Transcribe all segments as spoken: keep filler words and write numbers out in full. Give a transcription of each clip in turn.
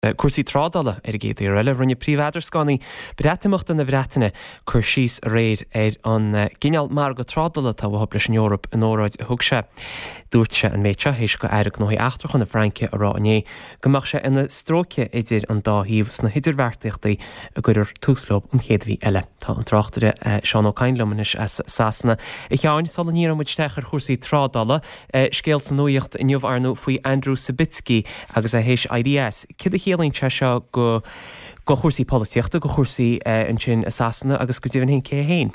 Cúrsaí trádála ar an gcéad eile rinne príomh-eadrascánaí Breatimeachta na Breataine cur síos aréir ar an gcineál margadh trádála atá uathu leis an Eoraip in óráid a thug sé. Dúirt sé an méid seo théis do Aire Gnóthaí Eachtracha na Fraince a rá inné go mbeadh sé ina stróice idir an dá thaobh sna hidirbheartaíochtaí a gcuirfear tús leo an chéad mhí eile. Tá an tráchtaire Seán Ó Cadhain liom anois as Sasana. A Sheáin sula ndíreoidh muid isteach ar chúrsaí trádála, scéal sa nuacht inniu ar ndóigh faoi Andrew Sabisky agus é théis éirí as. Cad a chiallaíonn sé seo go go chúrsaí polaitíochta go chúrsaí ansin i Sasana agus go deimhin cé féin.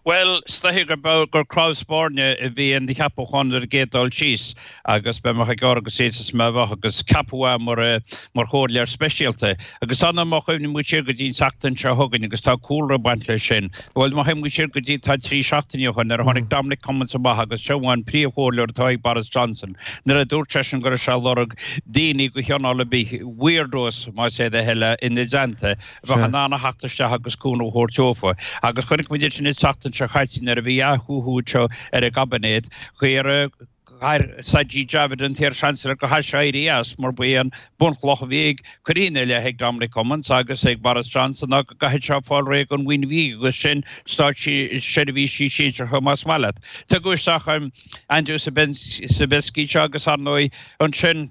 Well is dóichí gur gur cnámh spairne a bhí ina cheapachán ar an gcéad dul síos agus be ag agus is me bheith agus ceapadh mar mar chomhairleoir speisialta. Agus anna má chuimhníonn siar go dtí an tseachtain seo chugainn agus tá cúlra baint leis sin. Bhuel má théann siar go dtí tá trí seachtaine ó shin ar tháinig Dominic Cummings amach agus seo an príomhchomhairleoir atá ag Boris Johnson. Nuair a dúirt sé sin go raibh sé ag lorg daoine de chineál ar bith weirdos más é do thoil ina dteannta bheith in ann a theacht isteach agus cúnamh a thabhairt dófa. Agus chonaic muid sin seachtain seo chaite nuair a bhí athú seo ar an gcaibinéad chuir Sajid Javid an t-iar-Chancellor go éirí as mar b'é an bunchloch a bhí ag cuirína le ag Dominic Cummings agus ag Boris Johnson ná go gcaithfidh sé fáil réidh an bhuíon bhí agus sin státseirbhísigh sinsearacha más maith leat. Tugadh isteach Andrew Sabisky seo agus ar ndóigh ansin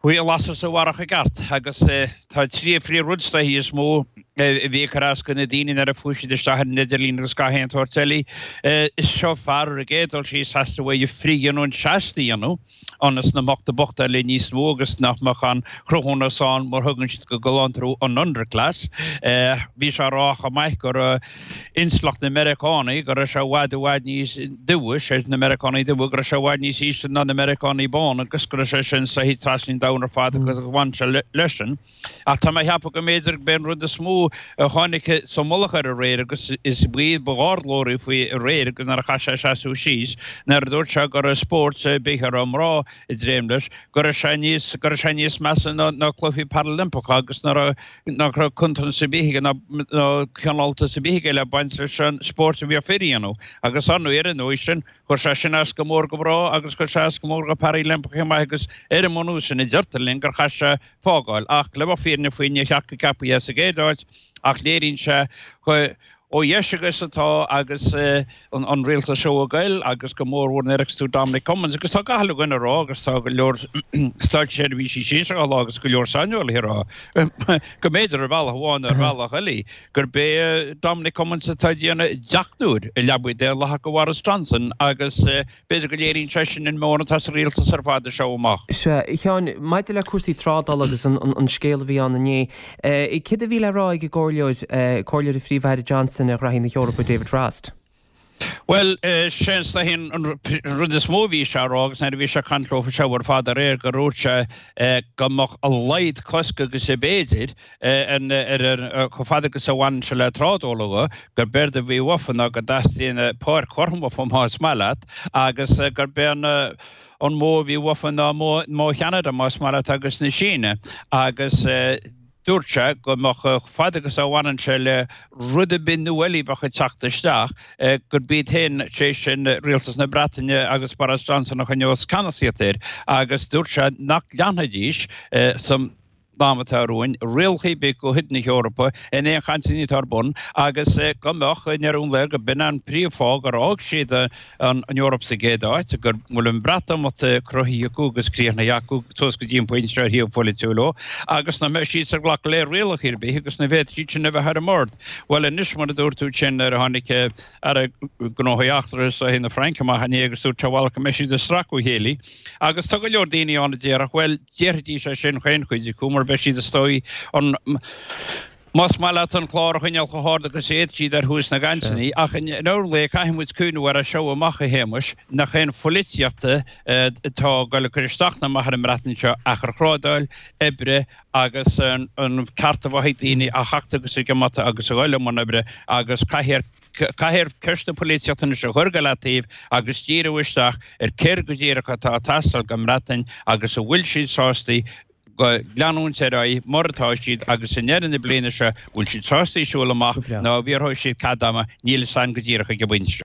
Chuaigh an lasair sa bharrach i gceart agus tá trí phríomhrud is dóichí is mó a bhí ag cur as do na daoine nuair a fuair siad isteach ar an idirlíon agus gach aon tsórt eile. Is seo fear ar an gcéad dul síos theastaigh uaidh frithdhíonadh seasta a dhéanamh ionas nach mbeadh na bochta eile níos mó agus nach mbeadh an cruthúnas ann mar thugann siad go galánta orthu an underclass. Bhí sé ag rá chomh maith gur intleacht na Meiriceánaigh go raibh sé i bhfad i bhfad níos dubha sé na Meiriceánaigh dubha go raibh sé i bhfad níos ísle ná na Meiriceánaigh bán agus go raibh sé sin saghas trasna an domhain ar fad agus bhain sé leis sin. Ach tá mé ag ceapadh go mb'fhéidir b'é an rud is mó a tháinig sa mullach air aréir agus is baol ba ghardlóirí faoi aréir agus nuair a chaith sé seasamh síos nuair a dúirt sé go raibh spórt bith a raibh mná ag dréim leis go raibh sé níos go raibh sé níos measa ná ná cluichí Paralympiacha agus nach raibh nach raibh cuntas ar bith aige ná ná cineáltas ar bith aige le baint leis an spórt a bhí fir a dhéanamh agus ar ndóigh ar an ndóigh sin chuir sé sin as go mór go mná agus chuir sé as go mór go Paralympiacha chomh maith agus ar an mbunús sin a deirtear linn gur chaith sé fágáil ach le bheith fírinne faoi níor cheart go gceapfaí é sa gcéad áit ach léiríonn sé ó dheis agus atá agus an rialtas seo ag goil agus go mór mhór nuair a fheiceas tú Dominic Cummings agus tá gach uile dhuine ag rá agus tá go leor státseirbhísigh sinsearacha á rá agus go leor saineolaithe ag rá go mb'fhéidir ar bhealach amháin nó ar bhealach eile gurb é Dominic Cummings atá ag déanamh deachtúir i leabaidh daonlathach do Bhoris Johnson agus b'fhéidir go léiríonn sé sin an meon atá sa rialtas ar fad seo amach. Sea, a Sheáin, maidir le cúrsaí trádála agus an an scéal a bhí ann inné, céard a bhí le rá ag an gcomhairleoir, comhairleoir an Phríomh-Aire Johnson ar ghraithí na hEorpa, David Frost? Bhuel, sé is dóichí an rud is mó a bhí sé a rá agus nuair a bhí sé ag caint leo seo ar fad aréir gur dhúirt sé go mbeadh a laghad cosc agus ab fhéidir ar chomh fada agus a bhaineann sé le trádáil dhe, gurb éard a bhí uafa ná go dteastaíonn páirc chothrom uafa más maith leat agus gurb é an an modh a bhí uafa ná modh Cheanada más maith leat agus na Síne agus dúirt sé go mbeadh chomh fada agus a bhaineann sé le rud ar bith nua eile a bheadh ag teacht isteach gurb iad féin, sé sin Rialtas na Breataine agus Boris Johnson a choinneos ceannasaíocht air agus dúirt sé nach leanfaidís san am atá romhainn, rialacha ar bith de chuid na hEorpa in aon chainteanna atá ar bun agus go mbeadh, i ndeireadh an lae, go b'in an príomhfháth gur fhág siad an Eoraip sa gcéad áit, go bhfuil an Breatimeacht cruthaithe acu agus críochnaithe acu suas go dtí an pointe seo ar thaobh polaitiúil de agus nach mbeidh siad ag glacadh le rialacha ar bith agus nach bhféadfaidh siad sin a bheith ar an mbord. Bhuel anois, mar a dúirt tú sin, nuair a tháinig Aire Gnóthaí Eachtracha na Fraince amach inné agus dúirt sé bhuel go mbeidh siad ag stracadh a chéile agus tá go leor daoine ann a déarfadh bhuel déarfaidís é sin chaon chuid acu mar beidh siad is dóigh an más maith leat an clár a choinneáil chomh hard agus a fhéadfaidh siad ar thús na gcainteanna ach i ndeireadh an lae caithfidh muid cuimhneamh air as seo amach a Shéamais nach aon pholaitíocht atá ag dul ag cur isteach ná amach ar an mBreatain seo ach ar thrádáil oibre agus an ceart a bheith ag daoine a theacht agus ag imeacht agus a dhul i mbun oibre agus caithfear Caithfear ceist na polaitíochta anois a chur go leataobh agus díriú isteach ar céard go díreach atá ag teastáil don mBreatain agus an bhfuil siad sásta leanúint ar aghaidh mar atá siad agus i ndeireadh na bliana seo bhfuil siad sásta siúl amach nó an bhféadfaidh siad cead ama, níl a fhios againn go díreach ag an bpointe seo.